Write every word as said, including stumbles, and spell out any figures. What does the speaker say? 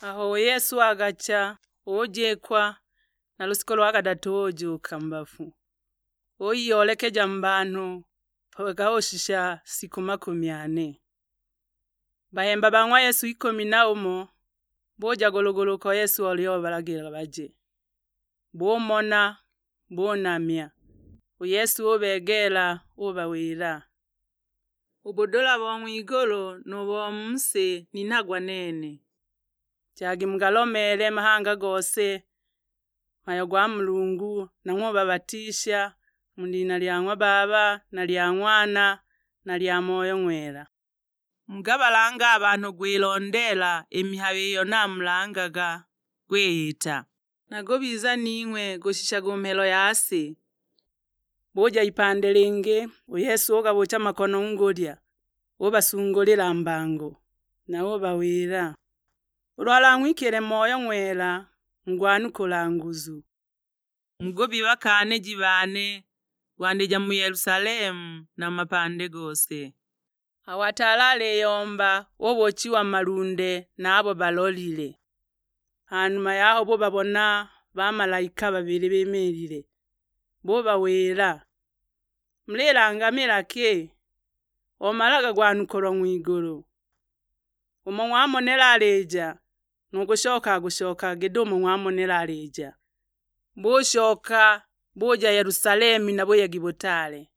Aho u Yesu agacha, ujikwa, na lusiko lwa kadatu ujuka mu bafu. Uyiolekeja mu banhu, mpaka ushisha siku makumi ane. Bahemba ba ng'wa Yesu ikumi na umo, buja gulugulu uko Yesu oli ubalagila baje. Bumona, bunamya. U Yesu ubegeela, ubawila, "U budula bo ng'wigulu nu bo mu si ninhagwa nene. Jagi mugalomeele mahanga gose mhayo gwa Mulungu, nang'we ubabatisha mu lina lya ng'wa Baba, na lya Ng'wana, na lya Moyo Ng'wela. Mugabalange a banhu gwilondeela i mihayo iyo namulangaga, gwiyita. Nagubiza ning'we gushishaga u mhelo ya si." Buja ipande lingi, u Yesu ugabuucha makono ngulya, ubasungulila mbango, na ubawila, "Ulu alang'wikile Moyo Ng'wela, mugwanukula nguzu." Mugubi bakaaniji bane, gwandija mu Yerusalemu na mu mapande gose. Aho ataali aliyomba, ubuuchiwa malunde na abo balolile. Hanuma yaho bubabona bamalaika babili bimiilile, bubawila, "Mulilangamila ki? Omalaga gwanukulwa ng'wigulu. Umo ng'wamonela alija, nu kushoka agushoka giti umo ng'wamonela alija." Bushoka, buja Yerusalemu na buyegi butaale,